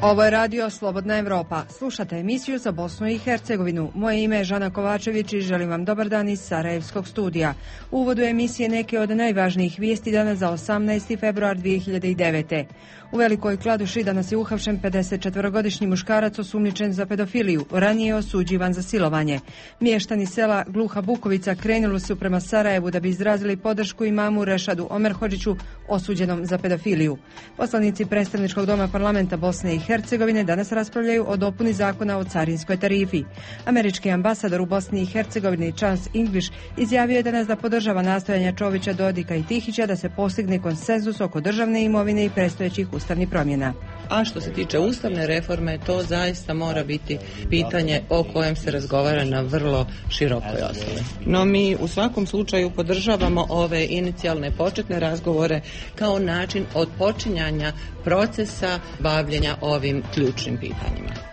Ovo je radio Slobodna Evropa. Slušate emisiju za Bosnu i Hercegovinu. Moje ime je Žana Kovačević i želim vam dobar dan iz Sarajevskog studija. U uvodu emisije neke od najvažnijih vijesti danas za 18. februar 2009. U Velikoj Kladuši danas je uhapšen 54-godišnji muškarac osumnjičen za pedofiliju, ranije osuđivan za silovanje. Mještani sela Gluha Bukovica krenuli su prema Sarajevu da bi izrazili podršku imamu Rešadu Omerhodžiću osuđenom za pedofiliju. Poslanici predstavničkog doma parlamenta Bosne i Hercegovine danas raspravljaju o dopuni zakona o carinskoj tarifi. Američki ambasador u Bosni i Hercegovini Charles English izjavio je danas da podržava nastojanja Čovića, Dodika i Tihića da se postigne konsenzus oko državne imovine i predstojećih ustavnih promjena. A što se tiče ustavne reforme, to zaista mora biti pitanje o kojem se razgovara na vrlo širokoj osnovi. No mi u svakom slučaju podržavamo ove inicijalne početne razgovore kao način odpočinjanja procesa bavljenja ovim ključnim pitanjima.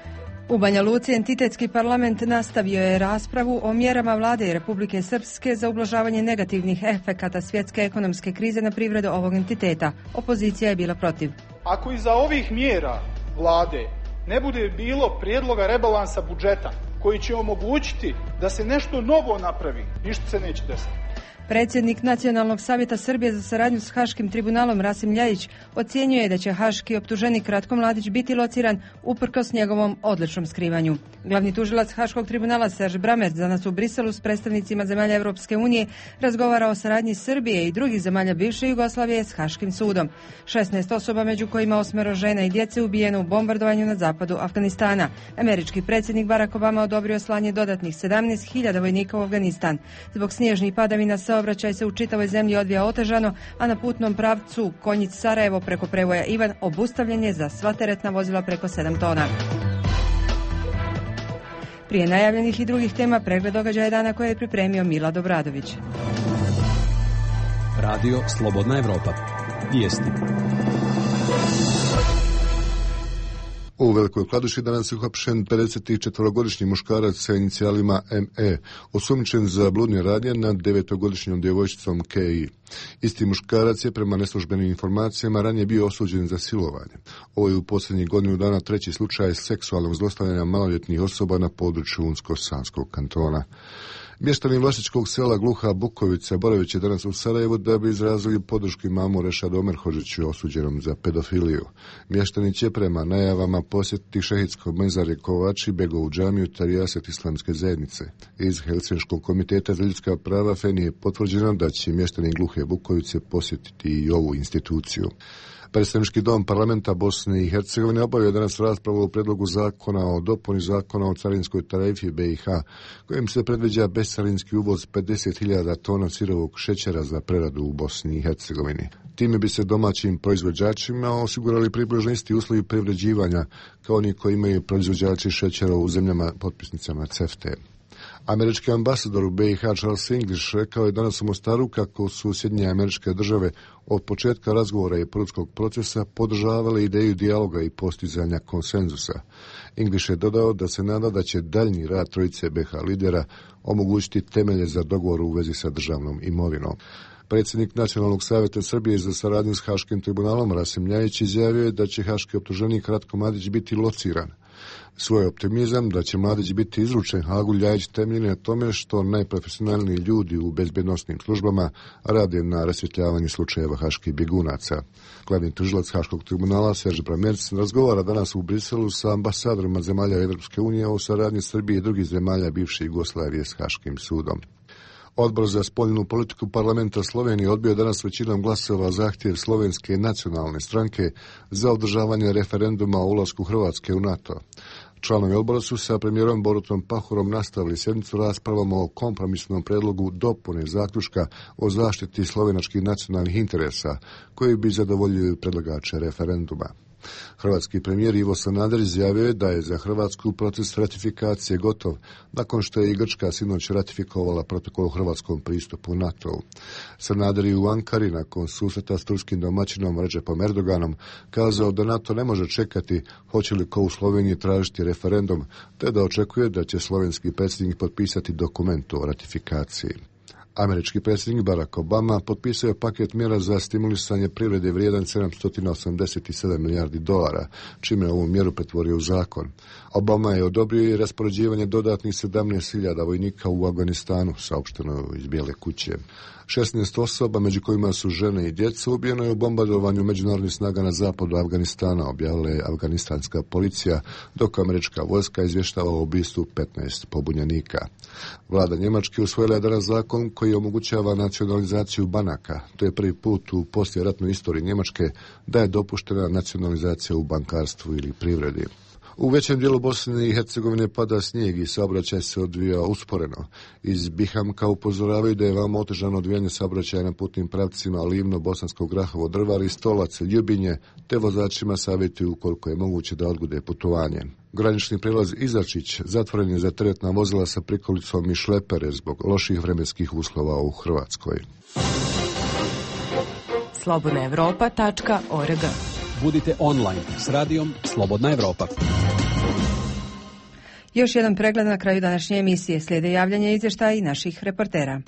U Banja Luci entitetski parlament nastavio je raspravu o mjerama vlade Republike Srpske za ublažavanje negativnih efekata svjetske ekonomske krize na privredu ovog entiteta. Opozicija je bila protiv. Ako iza ovih mjera vlade ne bude bilo prijedloga rebalansa budžeta koji će omogućiti da se nešto novo napravi, ništa se neće desiti. Predsjednik Nacionalnog savjeta Srbije za saradnju s Haškim tribunalom Rasim Ljajić ocjenjuje da će haški optuženik Ratko Mladić biti lociran uprkos njegovom odličnom skrivanju. Glavni tužilac Haškog tribunala Serž Bramerc danas u Briselu s predstavnicima zemalja Europske unije razgovara o saradnji Srbije i drugih zemalja bivše Jugoslavije s Haškim sudom. 16 osoba, među kojima 8 žena i djece, ubijeno u bombardovanju na zapadu Afganistana. Američki predsjednik Barack Obama odobrio slanje dodatnih 17.000 vojnika u Afganistan. Zbog snježnih padavina saobraćaj se u čitavoj zemlji odvija otežano, a na putnom pravcu Konjic-Sarajevo preko prevoja Ivan obustavljen je za sva teretna vozila preko 7 tona. Prije najavljenih i drugih tema pregled događaja dana koje je pripremio Mila Dobradović. Radio Slobodna Evropa. Vijesti. U Velikoj Kladuši danas je uhapšen 54-godišnji muškarac sa inicijalima ME, osumnjičen za bludne radnje nad 9-godišnjom djevojčicom KI. Isti muškarac je prema neslužbenim informacijama ranije bio osuđen za silovanje. Ovo je u posljednjih godinu dana treći slučaj seksualnog zlostavljanja maloljetnih osoba na području Unsko-Sanskog kantona. Mještani vlašičkog sela Gluha Bukovica boraveći danas u Sarajevu da bi izrazili podršku imamu Rešadu Omerhodžiću osuđenom za pedofiliju. Mještani će prema najavama posjetiti šehidsko mezarje Kovači, Begovu džamiju te rijaset islamske zajednice. Iz Helsinškog komiteta za ljudska prava FENI je potvrđeno da će mještani Gluhe Bukovice posjetiti i ovu instituciju. Predstavnički dom parlamenta Bosne i Hercegovine obavio danas raspravu o predlogu zakona o dopuni zakona o carinskoj tarifi BiH, kojim se predviđa bescarinski uvoz 50.000 tona sirovog šećera za preradu u Bosni i Hercegovini. Time bi se domaćim proizvođačima osigurali približno isti uslovi privređivanja kao oni koji imaju proizvođači šećera u zemljama potpisnicama CEFTA. Američki ambasador u BiH Charles English rekao je danas u Mostaru kako su Sjedinjene Američke Države od početka razgovora i političkog procesa podržavale ideju dijaloga i postizanja konsenzusa. English je dodao da se nada da će daljnji rad trojice BiH lidera omogućiti temelje za dogovor u vezi sa državnom imovinom. Predsjednik Nacionalnog savjeta Srbije za saradnju s Haškim tribunalom Rasim Ljajić izjavio je da će haški optuženik Ratko Mladić biti lociran. Svoj optimizam da će Mladić biti izručen Hagu Ljajić temelji na tome što najprofesionalniji ljudi u bezbednosnim službama rade na rasvjetljavanju slučajeva haških bjegunaca. Glavni tužilac Haškog tribunala Serž Bramerc razgovara danas u Briselu sa ambasadorima zemalja Europske unije o saradnji Srbije i drugih zemalja bivše Jugoslavije s Haškim sudom. Odbor za spoljnu politiku parlamenta Slovenije odbio danas većinom glasova zahtjev Slovenske nacionalne stranke za održavanje referenduma o ulasku Hrvatske u NATO. Članovi odbora su sa premijerom Borutom Pahorom nastavili sjednicu raspravom o kompromisnom predlogu dopune zaključka o zaštiti slovenačkih nacionalnih interesa, koji bi zadovoljili predlagače referenduma. Hrvatski premijer Ivo Sanader izjavio je da je za Hrvatsku proces ratifikacije gotov, nakon što je i Grčka sinoć ratifikovala protokol o hrvatskom pristupu NATO-u. Sanader je u Ankari nakon susreta s turskim domaćinom Recepom Erdoganom kazao da NATO ne može čekati hoće li ko u Sloveniji tražiti referendum, te da očekuje da će slovenski predsjednik potpisati dokument o ratifikaciji. Američki predsjednik Barack Obama potpisao je paket mjera za stimulisanje privrede vrijedan $787 milijardi, čime je ovu mjeru pretvorio u zakon. Obama je odobrio i raspoređivanje dodatnih 17.000 vojnika u Afganistanu, saopšteno iz Bijele kuće. 16 osoba, među kojima su žene i djeca, ubijeno je u bombardovanju međunarodnih snaga na zapadu Afganistana, objavila je afganistanska policija, dok američka vojska izvještava o ubistvu 15 pobunjenika. Vlada Njemačke usvojila je danas zakon koji omogućava nacionalizaciju banaka. To je prvi put u poslijeratnoj istoriji Njemačke da je dopuštena nacionalizacija u bankarstvu ili privredi. U većem dijelu Bosne i Hercegovine pada snijeg i saobraćaj se odvija usporeno. Iz Bihamka upozoravaju da je veoma otežano odvijanje saobraćaja na putnim pravcima Livno, Bosansko Grahovo, Drvar, Stolac, Ljubinje, te vozačima savjetuju ukoliko je moguće da odgode putovanje. Granični prijelaz Izačić zatvoren je za teretna vozila sa prikolicom i šlepere zbog loših vremenskih uslova u Hrvatskoj. slobodnaevropa.org. Budite online s radijom Slobodna Evropa. Još jedan pregled na kraju današnje emisije. Slijede javljanje izvještaja i naših reportera.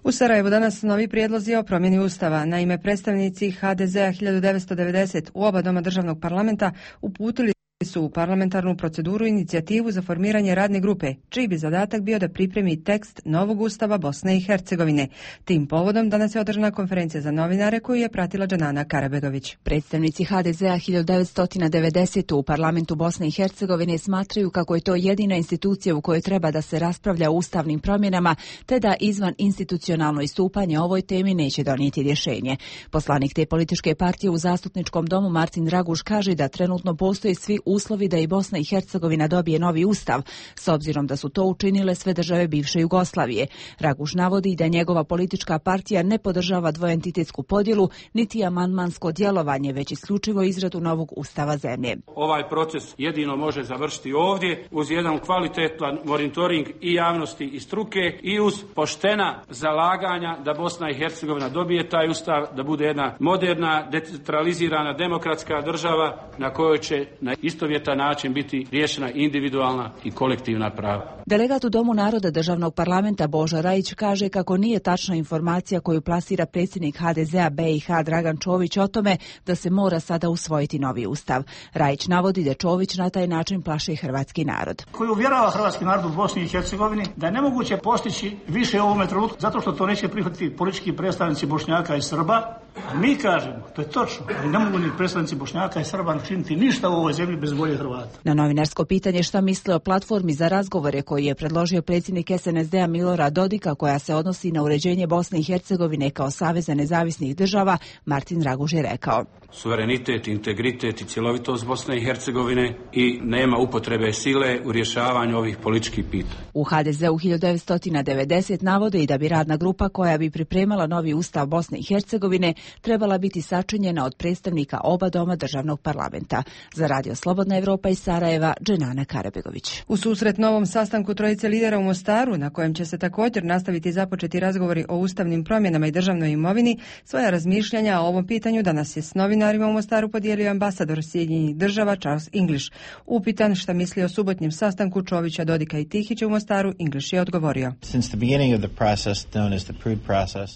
U Sarajevu danas novi prijedlozi o promjeni Ustava. Naime, predstavnici HDZ-a 1990 u oba doma državnog parlamenta uputili su u parlamentarnu proceduru inicijativu za formiranje radne grupe, čiji bi zadatak bio da pripremi tekst novog Ustava Bosne i Hercegovine. Tim povodom danas je održana konferencija za novinare koju je pratila Džanana Karabegović. Predstavnici HDZ-a 1990 u parlamentu Bosne i Hercegovine smatraju kako je to jedina institucija u kojoj treba da se raspravlja o ustavnim promjenama, te da izvan institucionalno istupanje o ovoj temi neće donijeti rješenje. Poslanik te političke partije u zastupničkom domu Martin Raguš kaže da trenutno postoje svi uslovi da i Bosna i Hercegovina dobije novi ustav, s obzirom da su to učinile sve države bivše Jugoslavije. Raguš navodi da njegova politička partija ne podržava dvoentitetsku podjelu, niti amandmansko djelovanje, već isključivo izradu novog ustava zemlje. Ovaj proces jedino može završiti ovdje uz jedan kvalitetan monitoring i javnosti i struke i uz poštena zalaganja da Bosna i Hercegovina dobije taj ustav, da bude jedna moderna, decentralizirana, demokratska država na kojoj će na istovjetan način biti riješena individualna i kolektivna prava. Delegat u Domu naroda državnog parlamenta Božo Rajić kaže kako nije tačna informacija koju plasira predsjednik HDZ-a BiH Dragan Čović o tome da se mora sada usvojiti novi ustav. Rajić navodi da Čović na taj način plaši hrvatski narod. Koji uvjerava hrvatski narod u Bosni i Hercegovini da je nemoguće postići više u ovome trenutku zato što to neće prihvatiti politički predstavnici Bošnjaka i Srba. A mi kažemo, to je točno, ali ne mogu ni predstavnici Bošnjaka i Srba načiniti ništa u ovoj zemlji bez volje Hrvata. Na novinarsko pitanje šta misle o platformi za razgovore koji je predložio predsjednik SNSD-a Milorad Dodika, koja se odnosi na uređenje Bosne i Hercegovine kao saveza nezavisnih država, Martin Raguž je rekao: suverenitet, integritet i cjelovitost Bosne i Hercegovine i nema upotrebe sile u rješavanju ovih političkih pitanja. U HDZ-u 1990 navode i da bi radna grupa koja bi pripremala novi ustav Bosne i Hercegovine trebala biti sačinjena od predstavnika oba doma državnog parlamenta. Za Radio Slobodna Evropa iz Sarajeva, Dženana Karabegović. U susret novom sastanku trojice lidera u Mostaru, na kojem će se također nastaviti započeti razgovori o ustavnim promjenama i državnoj imovini, svoja razmišljanja o ovom pitanju danas je s novinarima u Mostaru podijelio ambasador Sjedinjenih država Charles English. Upitan šta misli o subotnjem sastanku Čovića, Dodika i Tihića u Mostaru, English je odgovorio: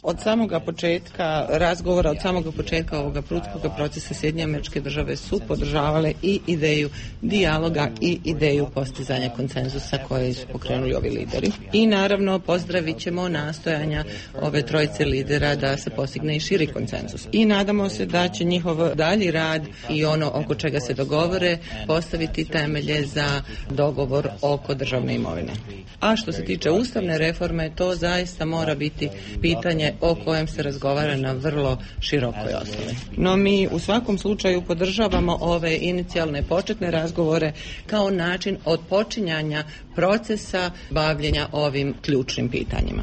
Od samoga početka razgovora, od samoga početka ovoga prudskog procesa Sjedinjene Američke Države su podržavale i ideju dijaloga i ideju postizanja konsenzusa koje su pokrenuli ovi lideri. I naravno pozdravit ćemo nastojanja ove trojice lidera da se postigne i širi konsenzus. I nadamo se da će njihov dalji rad i ono oko čega se dogovore postaviti temelje za dogovor oko državne imovine. A što se tiče ustavne reforme, to zaista mora biti pitanje o kojem se razgovara na vrlo širokoj osnovi. No mi u svakom slučaju podržavamo ove inicijalne početne razgovore kao način odpočinjanja procesa bavljenja ovim ključnim pitanjima.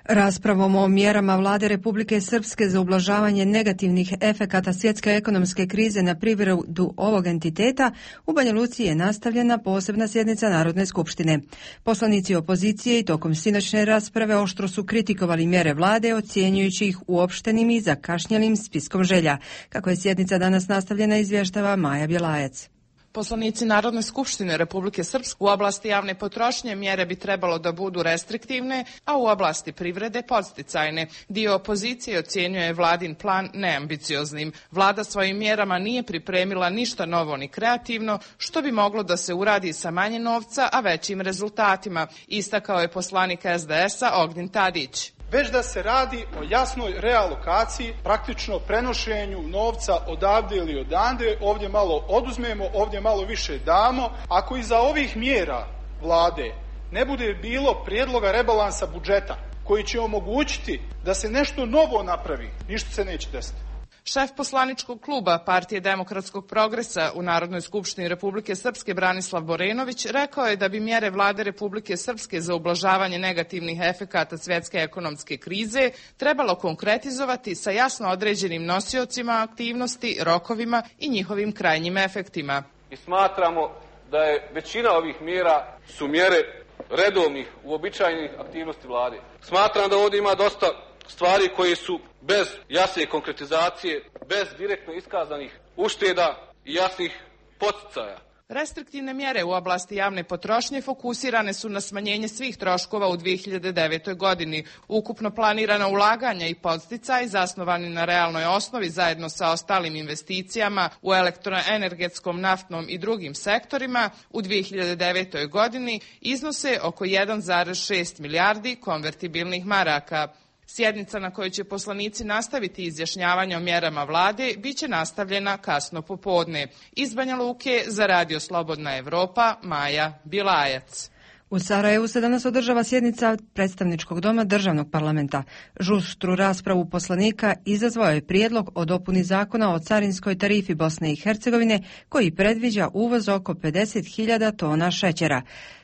Raspravom o mjerama vlade Republike Srpske za ublažavanje negativnih efekata svjetske ekonomske krize na privredu ovog entiteta, u Banja Luci je nastavljena posebna sjednica Narodne skupštine. Poslanici opozicije i tokom sinoćne rasprave oštro su kritikovali mjere vlade, ocjenjujući ih uopštenim i zakašnjelim spiskom želja. Kako je sjednica danas nastavljena, izvještava Maja Bjelajac. Poslanici Narodne skupštine Republike Srpske u oblasti javne potrošnje mjere bi trebalo da budu restriktivne, a u oblasti privrede podsticajne. Dio opozicije ocjenjuje vladin plan neambicioznim. Vlada svojim mjerama nije pripremila ništa novo ni kreativno, što bi moglo da se uradi sa manje novca, a većim rezultatima, istakao je poslanik SDS-a Ognjen Tadić. Već da se radi o jasnoj realokaciji, praktično prenošenju novca odavde ili odande, ovdje malo oduzmemo, ovdje malo više damo. Ako iza ovih mjera vlade ne bude bilo prijedloga rebalansa budžeta koji će omogućiti da se nešto novo napravi, ništa se neće desiti. Šef poslaničkog kluba Partije demokratskog progresa u Narodnoj skupštini Republike Srpske Branislav Borenović rekao je da bi mjere vlade Republike Srpske za ublažavanje negativnih efekata svjetske ekonomske krize trebalo konkretizovati sa jasno određenim nosiocima aktivnosti, rokovima i njihovim krajnjim efektima. I smatramo da je većina ovih mjera su mjere redovnih, uobičajenih aktivnosti vlade. Smatram da ovdje ima dosta stvari koje su bez jasne konkretizacije, bez direktno iskazanih ušteda i jasnih poticaja. Restriktivne mjere u oblasti javne potrošnje fokusirane su na smanjenje svih troškova u 2009. godini. Ukupno planirana ulaganja i podsticaji zasnovani na realnoj osnovi zajedno sa ostalim investicijama u elektroenergetskom, naftnom i drugim sektorima u 2009. godini iznose oko 1,6 milijardi konvertibilnih maraka. Sjednica na kojoj će poslanici nastaviti izjašnjavanje o mjerama vlade biće nastavljena kasno popodne. Iz Banja Luke za Radio Slobodna Evropa, Maja Bjelajac. U Sarajevu se danas održava sjednica predstavničkog doma državnog parlamenta. Žustru raspravu poslanika izazvao je prijedlog o dopuni zakona o carinskoj tarifi Bosne i Hercegovine koji predviđa uvoz oko 50.000 tona šećera.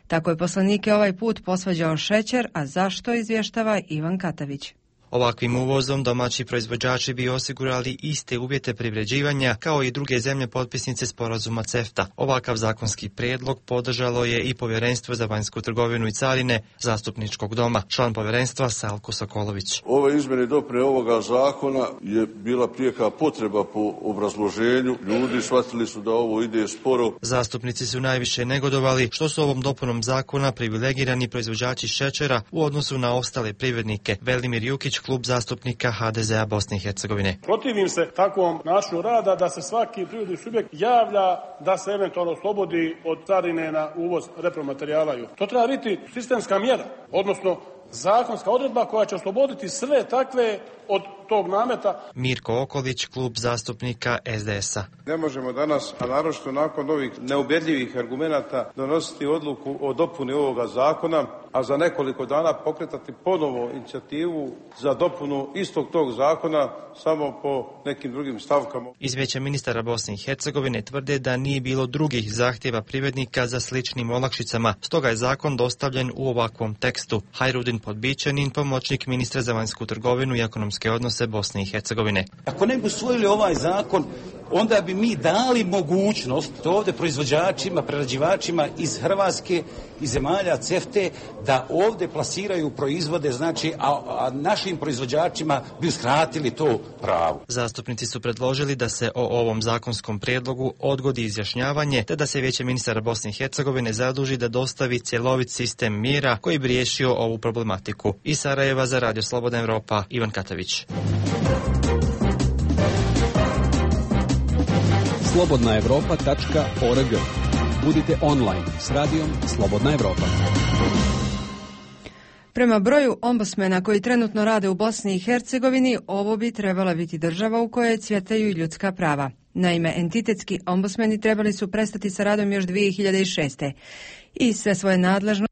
Tako je poslanike ovaj put posvađao šećer, a zašto izvještava Ivan Katavić. Ovakvim uvozom domaći proizvođači bi osigurali iste uvjete privređivanja kao i druge zemlje potpisnice sporazuma CEFTA. Ovakav zakonski prijedlog podržalo je i Povjerenstvo za vanjsku trgovinu i carine Zastupničkog doma, član povjerenstva Salko Sokolović. Ove izmjene i dopune ovoga zakona je bila prijeka potreba po obrazloženju. Ljudi shvatili su da ovo ide sporo. Zastupnici su najviše negodovali što su ovom dopunom zakona privilegirani proizvođači šećera u odnosu na ostale privrednike. Velimir Jukić, klub zastupnika HDZ-a Bosne i Hercegovine. Protivim se takvom načinu rada da se svaki privredni subjekt javlja da se eventualno oslobodi od carine na uvoz repromaterijala. To treba biti sistemska mjera, odnosno zakonska odredba koja će osloboditi sve takve od tog nameta. Mirko Okolić, klub zastupnika SDS-a. Ne možemo danas, a naročito nakon ovih neubedljivih argumenata, donositi odluku o dopuni ovoga zakona, a za nekoliko dana pokretati ponovo inicijativu za dopunu istog tog zakona samo po nekim drugim stavkama. Iz Vijeća ministara Bosne i Hercegovine tvrde da nije bilo drugih zahtjeva privrednika za sličnim olakšicama, stoga je zakon dostavljen u ovakvom tekstu. Hajrudin Podbićanin, pomoćnik ministra za vanjsku trgovinu i ekonomske odnose Bosne i Hercegovine. Ako ne bi usvojili ovaj zakon, onda bi mi dali mogućnost ovdje proizvođačima, prerađivačima iz Hrvatske i zemalja CEFTE da ovdje plasiraju proizvode, znači, a našim proizvođačima bi uskratili to pravo. Zastupnici su predložili da se o ovom zakonskom prijedlogu odgodi izjašnjavanje, te da se Vijeće ministara Bosne i Hercegovine zaduži da dostavi cjelovit sistem mjera koji bi riješio ovu problematiku. Iz Sarajeva za Radio Slobodna Evropa, Ivan Katavić. slobodnaevropa.org. Budite online s radijom Slobodna Evropa. Prema broju ombudsmena koji trenutno rade u Bosni i Hercegovini, ovo bi trebala biti država u kojoj cvjetaju ljudska prava. Naime, entitetski ombudsmeni trebali su prestati sa radom još 2006. i sve svoje nadležnosti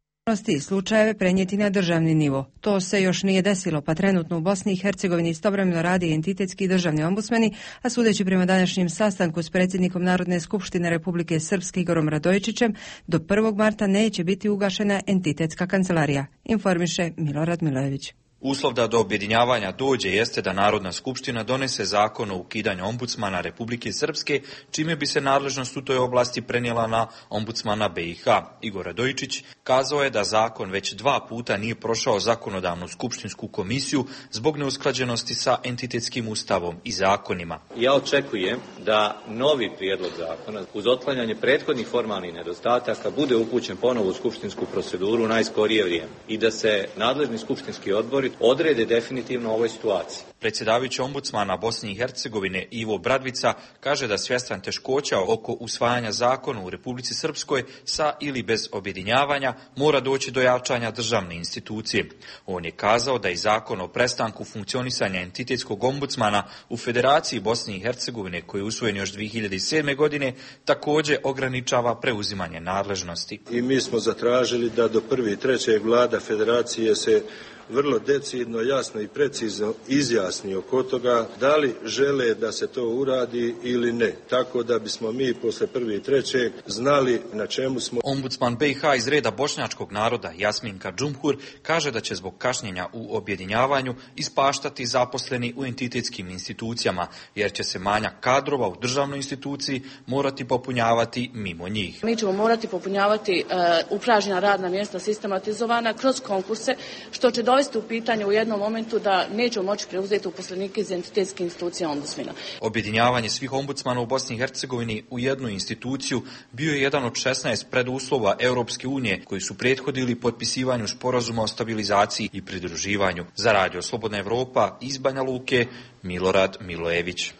i slučajeve prenijeti na državni nivo. To se još nije desilo, pa trenutno u Bosni i Hercegovini istovremeno radi entitetski i državni ombudsmeni, a sudeći prema današnjem sastanku s predsjednikom Narodne skupštine Republike Srpske Igorom Radojičićem, do 1. marta neće biti ugašena entitetska kancelarija, informiše Milorad Milojević. Uslov da do objedinjavanja dođe jeste da Narodna skupština donese zakon o ukidanju ombudsmana Republike Srpske, čime bi se nadležnost u toj oblasti prenijela na ombudsmana BiH. Igor Radojičić kazao je da zakon već 2 puta nije prošao zakonodavnu skupštinsku komisiju zbog neusklađenosti sa entitetskim ustavom i zakonima. Ja očekujem da novi prijedlog zakona uz otklanjanje prethodnih formalnih nedostataka bude upućen ponovo u skupštinsku proceduru u najskorije vrijeme i da se nadležni skupštinski odbori odrede definitivno o ovoj situaciji. Predsjedavajući ombudsmana Bosne i Hercegovine Ivo Bradvica kaže da svjestan teškoća oko usvajanja zakona u Republici Srpskoj sa ili bez objedinjavanja mora doći do jačanja državne institucije. On je kazao da i zakon o prestanku funkcionisanja entitetskog ombudsmana u Federaciji Bosne i Hercegovine, koji je usvojen još 2007. godine, također ograničava preuzimanje nadležnosti. I mi smo zatražili da do 1.3. vlada Federacije se vrlo decidno, jasno i precizno izjasni oko toga da li žele da se to uradi ili ne. Tako da bismo mi posle 1.3. znali na čemu smo. Ombudsman BiH iz reda bošnjačkog naroda Jasminka Džumhur kaže da će zbog kašnjenja u objedinjavanju ispaštati zaposleni u entitetskim institucijama, jer će se manjak kadrova u državnoj instituciji morati popunjavati mimo njih. Mi ćemo morati popunjavati upražnjena radna mjesta sistematizovana kroz konkurse, što će dovesti u pitanje u jednom momentu da nećemo moći preuzeti uposlenike iz entitetske institucije ombudsmana. Objedinjavanje svih ombudsmana u Bosni i Hercegovini u jednu instituciju bio je jedan od 16 preduslova Europske unije koji su prethodili potpisivanju sporazuma o stabilizaciji i pridruživanju. Za Radio Slobodna Evropa iz Banja Luke, Milorad Milojević.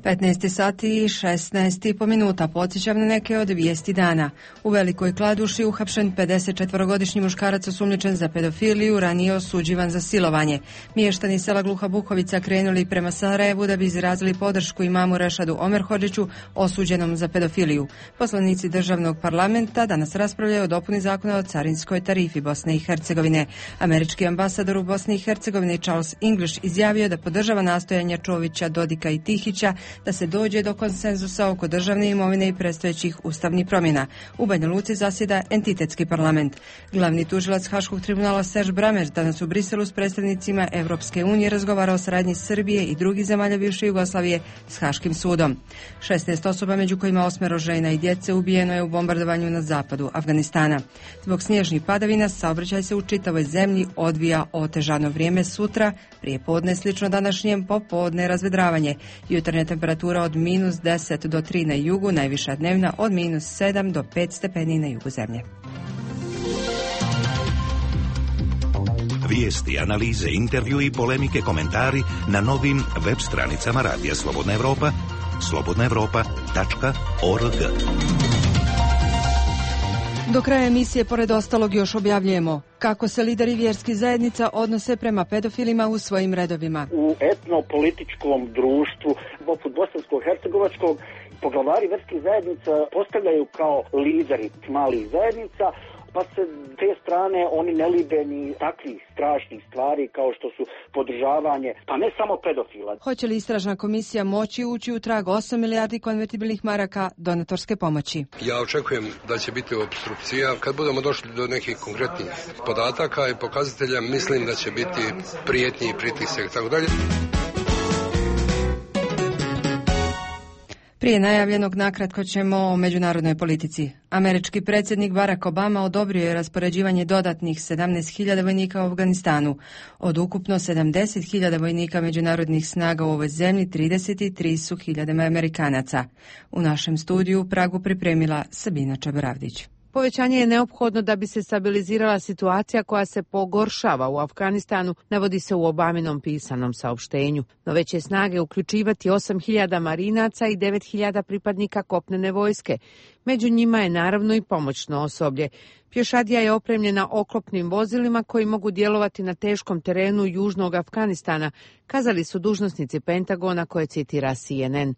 15 sati i 16,5 minuta. Podsjećam na neke od vijesti dana. U Velikoj Kladuši uhapšen 54-godišnji muškarac osumnjičen za pedofiliju, ranije osuđivan za silovanje. Mještani sela Gluha Bukovica krenuli prema Sarajevu da bi izrazili podršku imamu Rešadu Omerhodžiću, osuđenom za pedofiliju. Poslanici državnog parlamenta danas raspravljaju o dopuni zakona o carinskoj tarifi Bosne i Hercegovine. Američki ambasador u Bosni i Hercegovini Charles English izjavio da podržava nastojanja Čovića, Dodika i Tihića da se dođe do konsenzusa oko državne imovine i predstojećih ustavnih promjena. U Banja Luci zasjeda entitetski parlament. Glavni tužilac Haškog tribunala Serge Brammer danas u Briselu s predstavnicima Evropske unije razgovarao o saradnji Srbije i drugih zemalja bivše Jugoslavije s Haškim sudom. 16 osoba, među kojima 8 žena i djece, ubijeno je u bombardovanju na zapadu Afganistana. Zbog snježnih padavina saobraćaj se u čitavoj zemlji odvija otežano. Vrijeme sutra, prije podne slično današnjem, popodne razvedravanje. Jutarnja temperatura od -10 do 3 na jugu, najviša dnevna od -7 do 5 stepeni na jugu zemlje. Vijesti, analize, intervju i polemike, komentari na novim web stranicama Radija Slobodna Evropa, slobodnaevropa.org. Do kraja emisije, pored ostalog, još objavljujemo kako se lideri vjerskih zajednica odnose prema pedofilima u svojim redovima. U etnopolitičkom društvu, poput bosansko-hercegovačkog, poglavari vjerskih zajednica postavljaju kao lideri malih zajednica, pa se te strane oni ne libe ni takvih strašnih stvari kao što su podržavanje, pa ne samo pedofila. Hoće li istražna komisija moći ući u trag 8 milijardi konvertibilnih maraka donatorske pomoći? Ja očekujem da će biti opstrukcija. Kad budemo došli do nekih konkretnih podataka i pokazatelja, mislim da će biti prijetnji i pritisak, tako dalje. Prije najavljenog nakratko ćemo o međunarodnoj politici. Američki predsjednik Barack Obama odobrio je raspoređivanje dodatnih 17.000 vojnika u Afganistanu. Od ukupno 70.000 vojnika međunarodnih snaga u ovoj zemlji, 33 su hiljadama Amerikanaca. U našem studiju u Pragu pripremila Sabina Čaboravdić. Povećanje je neophodno da bi se stabilizirala situacija koja se pogoršava u Afganistanu, navodi se u Obaminom pisanom saopštenju. No veće snage uključivati 8.000 marinaca i 9.000 pripadnika kopnene vojske. Među njima je naravno i pomoćno osoblje. Pješadija je opremljena oklopnim vozilima koji mogu djelovati na teškom terenu južnog Afganistana, kazali su dužnosnici Pentagona koje citira CNN.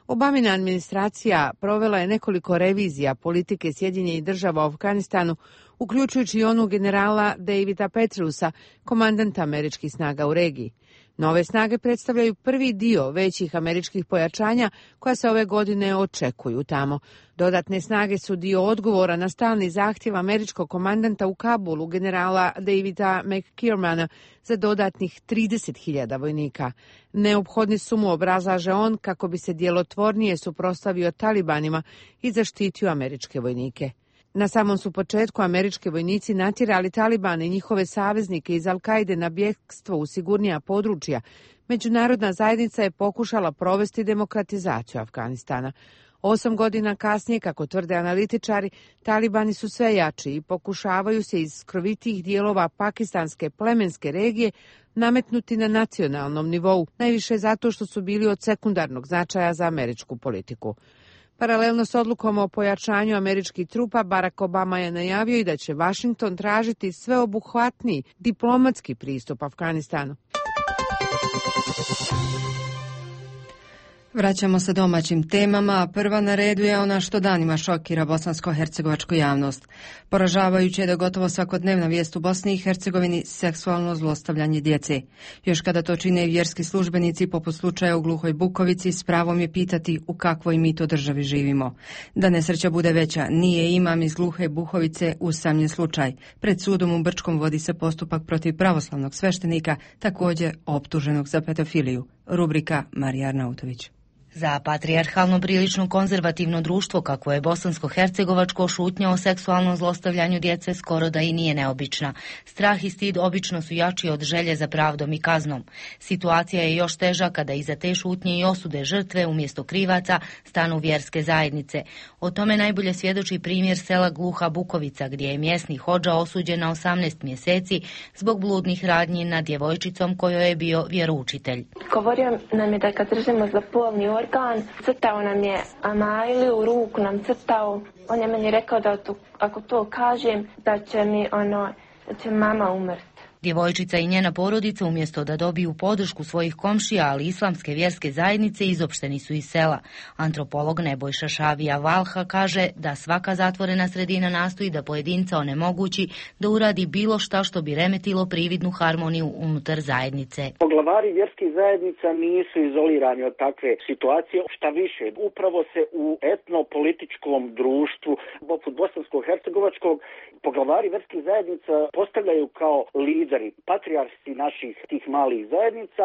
Obamina administracija provela je nekoliko revizija politike Sjedinjenih Država u Afganistanu uključujući i onu generala Davida Petreusa, komandanta američkih snaga u regiji. Nove snage predstavljaju prvi dio većih američkih pojačanja koja se ove godine očekuju tamo. Dodatne snage su dio odgovora na stalni zahtjev američkog komandanta u Kabulu, generala Davida McKiermana, za dodatnih 30.000 vojnika. Neophodni su mu, obrazlaže on, kako bi se djelotvornije suprotstavio talibanima i zaštitio američke vojnike. Na samom su početku američki vojnici natjerali Talibane i njihove saveznike iz Al-Kaide na bjegstvo u sigurnija područja. Međunarodna zajednica je pokušala provesti demokratizaciju Afganistana. 8 godina kasnije, kako tvrde analitičari, Talibani su sve jači i pokušavaju se iz skrovitijih dijelova pakistanske plemenske regije nametnuti na nacionalnom nivou, najviše zato što su bili od sekundarnog značaja za američku politiku. Paralelno s odlukom o pojačanju američkih trupa, Barack Obama je najavio i da će Washington tražiti sveobuhvatniji diplomatski pristup Afganistanu. Vraćamo se domaćim temama, a prva na redu je ona što danima šokira bosansko-hercegovačku javnost. Poražavajuće je da gotovo svakodnevna vijest u Bosni i Hercegovini seksualno zlostavljanje djece. Još kada to čine i vjerski službenici, poput slučaja u Gluhoj Bukovici, s pravom je pitati u kakvoj mi to državi živimo. Da nesreća bude veća, nije imam iz Gluhe Bukovice usamljen slučaj. Pred sudom u Brčkom vodi se postupak protiv pravoslavnog sveštenika, također optuženog za pedofiliju. Rubrika Marija Arnautović. Za patrijarhalno prilično konzervativno društvo kakvo je bosansko-hercegovačko, šutnja o seksualnom zlostavljanju djece skoro da i nije neobična. Strah i stid obično su jači od želje za pravdom i kaznom. Situacija je još teža kada iza te šutnje i osude žrtve umjesto krivaca stanu vjerske zajednice. O tome najbolje svjedoči primjer sela Gluha Bukovica, gdje je mjesni hodža osuđen na 18 mjeseci zbog bludnih radnji nad djevojčicom kojoj je bio vjeroučitelj. Govorio nam je da kad držimo za polni organ, crtao nam je amajli, u ruku nam crtao. On je meni rekao da ako to kažem, da će mama umrti. Djevojčica i njena porodica, umjesto da dobiju podršku svojih komšija, ali islamske vjerske zajednice, izopšteni su iz sela. Antropolog Nebojša Šavija Valha kaže da svaka zatvorena sredina nastoji da pojedinca onemogući da uradi bilo šta što bi remetilo prividnu harmoniju unutar zajednice. Poglavari vjerskih zajednica nisu izolirani od takve situacije. Šta više, upravo se u etnopolitičkom društvu, poput bosansko-hercegovačkog, poglavari vjerskih zajednica postavljaju kao lideri, patrijarsi naših tih malih zajednica,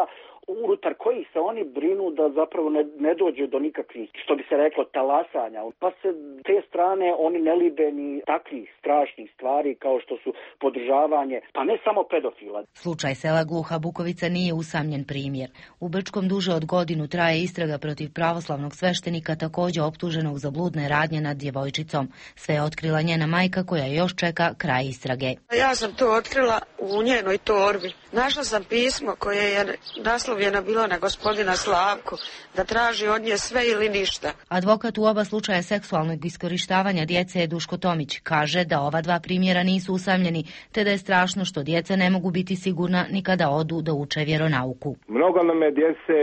unutar kojih se oni brinu da zapravo ne dođe do nikakvih, što bi se reklo, talasanja. Pa se te strane oni ne libe ni takvih strašnih stvari kao što su podržavanje, pa ne samo pedofila. Slučaj sela Gluha Bukovica nije usamljen primjer. U Brčkom duže od godinu traje istraga protiv pravoslavnog sveštenika, također optuženog za bludne radnje nad djevojčicom. Sve je otkrila njena majka koja još čeka kraj istrage. Ja sam to otkrila u njenoj torbi. Našla sam pismo koje je naslovljeno bilo na gospodina Slavku, da traži od nje sve ili ništa. Advokat u oba slučaja seksualnog iskorištavanja djece je Duško Tomić. Kaže da ova dva primjera nisu usamljeni, te da je strašno što djeca ne mogu biti sigurna ni kada odu da uče vjeronauku. Mnogo nam je djece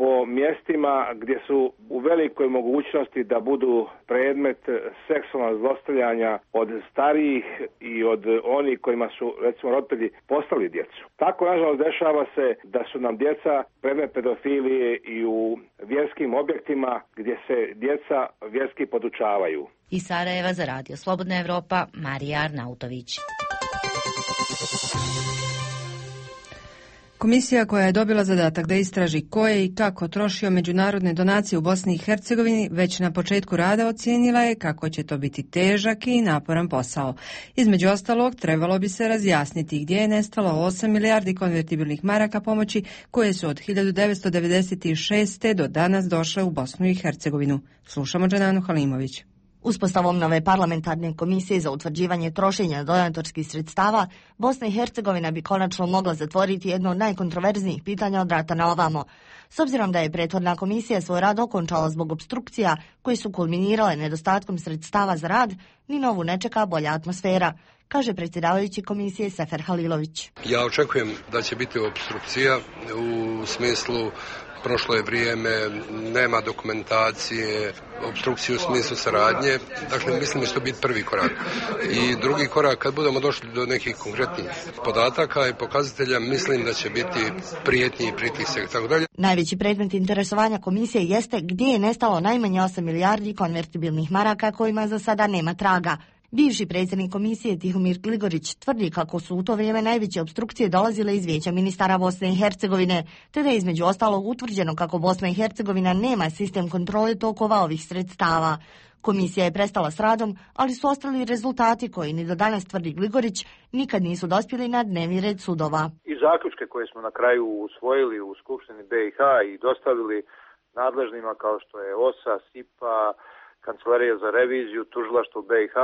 po mjestima gdje su u velikoj mogućnosti da budu predmet seksualnog zlostavljanja od starijih i od onih kojima su, recimo, roditelji poslali djecu. Tako, nažalost, dešava se da su nam djeca predmet pedofilije i u vjerskim objektima gdje se djeca vjerski podučavaju. Iz Sarajeva za Radio Slobodna Evropa, Marija Arnautović. Komisija koja je dobila zadatak da istraži ko je i kako trošio međunarodne donacije u Bosni i Hercegovini već na početku rada ocijenila je kako će to biti težak i naporan posao. Između ostalog, trebalo bi se razjasniti gdje je nestalo 8 milijardi konvertibilnih maraka pomoći koje su od 1996. do danas došle u Bosnu i Hercegovinu. Slušamo Dženanu Halimović. Uspostavom nove parlamentarne komisije za utvrđivanje trošenja donatorskih sredstava, Bosna i Hercegovina bi konačno mogla zatvoriti jedno od najkontroverznijih pitanja od rata na ovamo. S obzirom da je prethodna komisija svoj rad okončala zbog opstrukcija koje su kulminirale nedostatkom sredstava za rad, ni novu ne čeka bolja atmosfera. kaže predsjedavajući komisije Sefer Halilović. Ja očekujem da će biti opstrukcija u smislu prošlo je vrijeme, nema dokumentacije, opstrukciju u smislu saradnje. Dakle, mislim da će to biti prvi korak. I drugi korak, kad budemo došli do nekih konkretnih podataka i pokazatelja, mislim da će biti prijetnji i pritisak i tako dalje. Najveći predmet interesovanja komisije jeste gdje je nestalo najmanje 8 milijardi konvertibilnih maraka kojima za sada nema traga. Bivši predsjednik komisije Tihomir Gligorić tvrdi kako su u to vrijeme najveće opstrukcije dolazile iz Vijeća ministara Bosne i Hercegovine, te da je između ostalog utvrđeno kako Bosna i Hercegovina nema sistem kontrole tokova ovih sredstava. Komisija je prestala s radom, ali su ostali rezultati koji ni do danas, tvrdi Gligorić, nikad nisu dospjeli na dnevni red sudova. I zaključke koje smo na kraju usvojili u Skupštini BiH i dostavili nadležnima kao što je OSA, SIPA, Kancelarija za reviziju, Tužilaštvo BiH,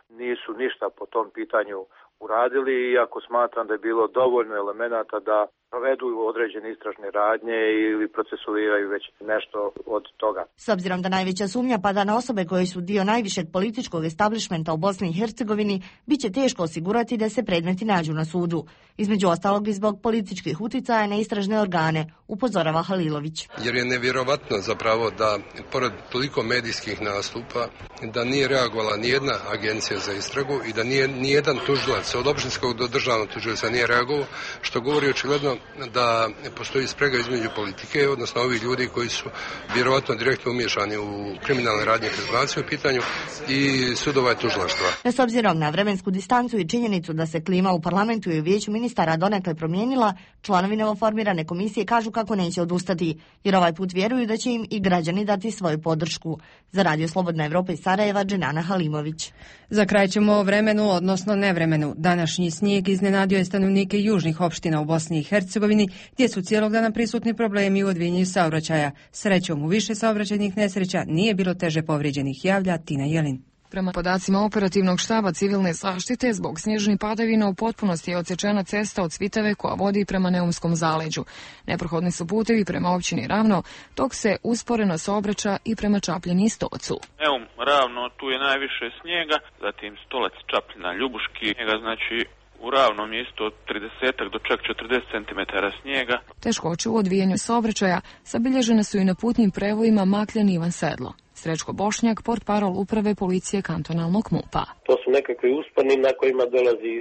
nisu ništa po tom pitanju uradili, iako smatram da je bilo dovoljno elemenata da provedu određene istražne radnje ili procesuiraju već nešto od toga. S obzirom da najveća sumnja pada na osobe koje su dio najvišeg političkog establishmenta u Bosni i Hercegovini, bit će teško osigurati da se predmeti nađu na sudu. Između ostalog i zbog političkih uticaja na istražne organe, upozorava Halilović. Jer je nevjerovatno zapravo da, pored toliko medijskih nastupa, da nije reagovala nijedna agencija za istragu i da nijedan tužilac od općinskog do državnog tužioca nije reagovao, što govori očigledno da postoji sprega između politike, odnosno ovih ljudi koji su vjerovatno direktno umiješani u kriminalne radnje i kriminalizaciju u pitanju i sudova i tužilaštva. S obzirom na vremensku distancu i činjenicu da se klima u parlamentu i u vijeću ministara donekle promijenila, članovi novoformirane komisije kažu kako neće odustati, jer ovaj put vjeruju da će im i građani dati svoju podršku. Za Radio Slobodna Evropa iz Sarajeva, Dženana Halimović. Za kraj ćemo o vremenu, odnosno nevremenu. Današnji snijeg iznenadio je stanovnike južnih opština u Bosni i Hercegovini, gdje su cijelog dana prisutni problemi u odvijanju saobraćaja. Srećom, u više saobraćajnih nesreća nije bilo teže povrijeđenih, javlja Tina Jelin. Prema podacima operativnog štaba civilne zaštite, zbog snježnih padavina u potpunosti je odsječena cesta od Svitave koja vodi prema Neumskom zaleđu. Neprohodni su putevi prema općini Ravno, dok se usporeno saobraća i prema Čapljini i Stocu. Neum, Ravno, tu je najviše snijega, zatim Stolac, Čapljina, Ljubuški, njega znači u Ravnom je isto od 30 do čak 40 cm snijega. Teškoće u odvijanju saobraćaja zabilježene su i na putnim prevojima Makljan Ivan Sedlo. Srećko Bošnjak, portparol uprave policije kantonalnog MUP-a. To su nekakvi usponi na kojima dolazi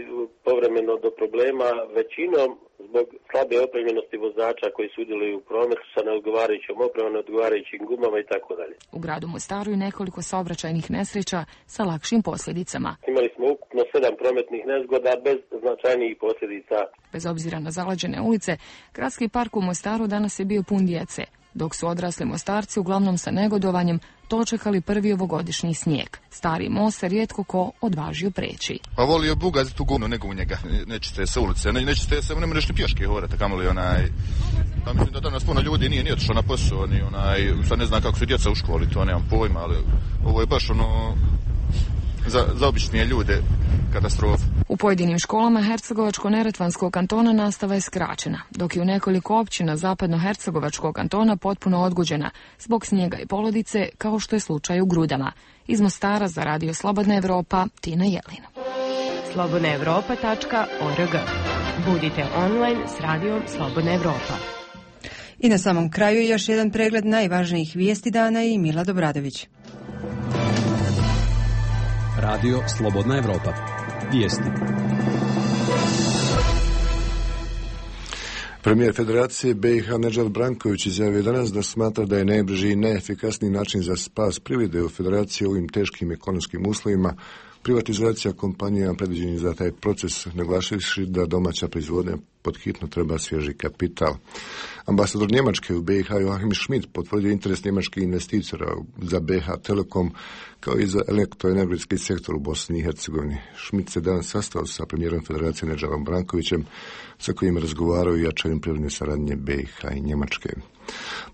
povremeno do problema, većinom zbog slabe opremljenosti vozača koji sudjeluju u prometu sa neodgovarajućom opremom, neodgovarajućim gumama i tako dalje. U gradu Mostaru je nekoliko saobraćajnih nesreća sa lakšim posljedicama. Imali smo ukupno 7 prometnih nezgoda bez značajnijih posljedica. Bez obzira na zaleđene ulice, gradski park u Mostaru danas je bio pun djece, dok su odrasli Mostarci uglavnom sa negodovanjem dočekali prvi ovogodišnji snijeg. Stari most se rijetko ko odvažio preći. Pa volio bugaziti tu gumnu nego u njega. Nećete se ulice, nećete se, ne možeš ni pješke hodati, kamoli Pa mislim da danas puno ljudi nije otišao na posao, ni sad ne znam kako su djeca u školi, to nemam pojma, ali ovo je baš za običnije ljude katastrofa. U pojedinim školama Hercegovačko-Neretvanskog kantona nastava je skraćena, dok je u nekoliko općina Zapadno-Hercegovačkog kantona potpuno odgođena zbog snijega i polodice, kao što je slučaj u Grudama. Iz Mostara za Radio Slobodna Evropa, Tina Jelin. slobodnaevropa.org. Budite online s Radijom Slobodna Evropa. I na samom kraju još jedan pregled najvažnijih vijesti dana i Mila Dobradović. Radio Slobodna Evropa. Vijesti. Premijer Federacije BiH Nedžad Branković izjavio danas da smatra da je najbrži i najefikasniji način za spas privrede u Federaciji u ovim teškim ekonomskim uslovima privatizacija kompanija predviđenih za taj proces, naglašivši da domaća proizvodnja pod hitno treba svježi kapital. Ambasador Njemačke u BiH Joachim Schmidt potvrdio interes njemačkih investitora za BiH Telekom kao i za elektroenergetski sektor u Bosni i Hercegovini. Schmidt se danas sastao sa premijerom Federacije Nedžadom Brankovićem, sa kojim razgovarao i jačanjem privredne saradnje BiH i Njemačke.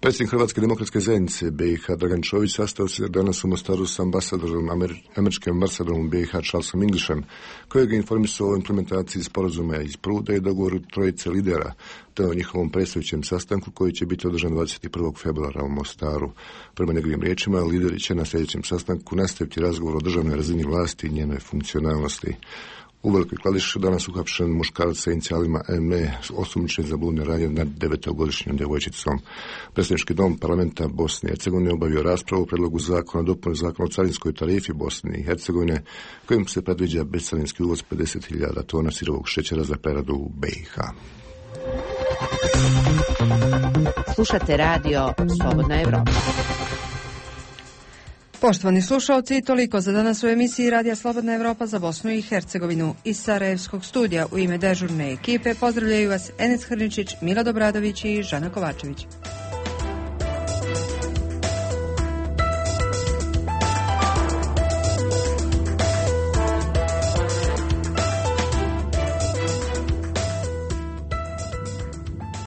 Predsjednik Hrvatske demokratske zajednice BiH Dragan Čović sastao se danas u Mostaru s ambasadorom američkim ambasadorom BiH Charlesom Englisham, kojeg je informisao o implementaciji sporazuma iz Pruda i dogovoru trojice lidera, te o njihovom predstojećem sastanku koji će biti održan 21. februara u Mostaru. Prema njegovim riječima, lideri će na sljedećem sastanku nastaviti razgovor o državnoj razini vlasti i njenoj funkcionalnosti. U Velikoj Kladiši danas uhapšen muškarac sa inicijalima ME, osumnjičen za bludne radnje nad 9-godišnjom djevojčicom. Predstavnički dom parlamenta Bosne i Hercegovine obavio raspravu o predlogu zakona dopune zakona o carinskoj tarifi Bosne i Hercegovine, kojim se predviđa bescarinski uvoz 50.000 tona sirovog šećera za preradu u BiH. Slušate radio Slobodna Evropa. Poštovani slušalci, toliko za danas u emisiji Radija Slobodna Evropa za Bosnu i Hercegovinu. Iz Sarajevskog studija u ime dežurne ekipe pozdravljaju vas Enes Hrničić, Milad Obradović i Žana Kovačević.